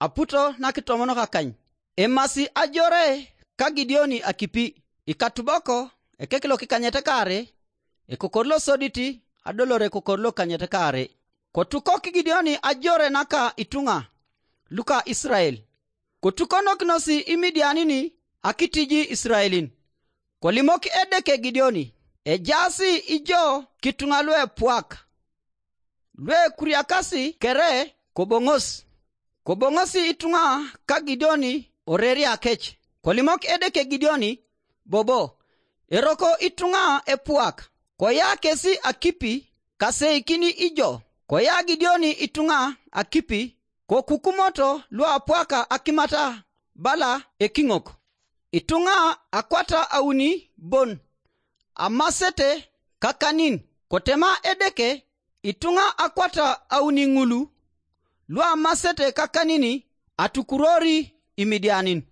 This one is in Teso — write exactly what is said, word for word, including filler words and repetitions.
aputo nakitomonok akany. Emasi ajore ka Gideoni akipi, ikatuboko, ekek lokikanyet kaare, ekokor losodit, adolor ekokor lokikanyet kaare. Kotukok Gideoni ajore naka ituŋa luka Isirael. Kotukonokinosi Imidianin akitiji Isiraelin. Kolimok Edeke Gideoni, ejaasi ijo kituŋa luepuak, luekuriakasi kere koboŋos. Koboŋosi ituŋa ka Gideoni oreria kec. Kolimok Edeke Gideoni bobo, eroko ituŋa epuak. Koya kesi akipi, kaseikin ijo. Koya Gideoni ituŋa akipi, kokukumoto luapuaka akimata bala ekiŋok. Ituŋa akwata auni bon, amasete kakanin. Kotema Edeke ituŋa akwata auni ŋulu luamasete kakanin atukurori Imidianin.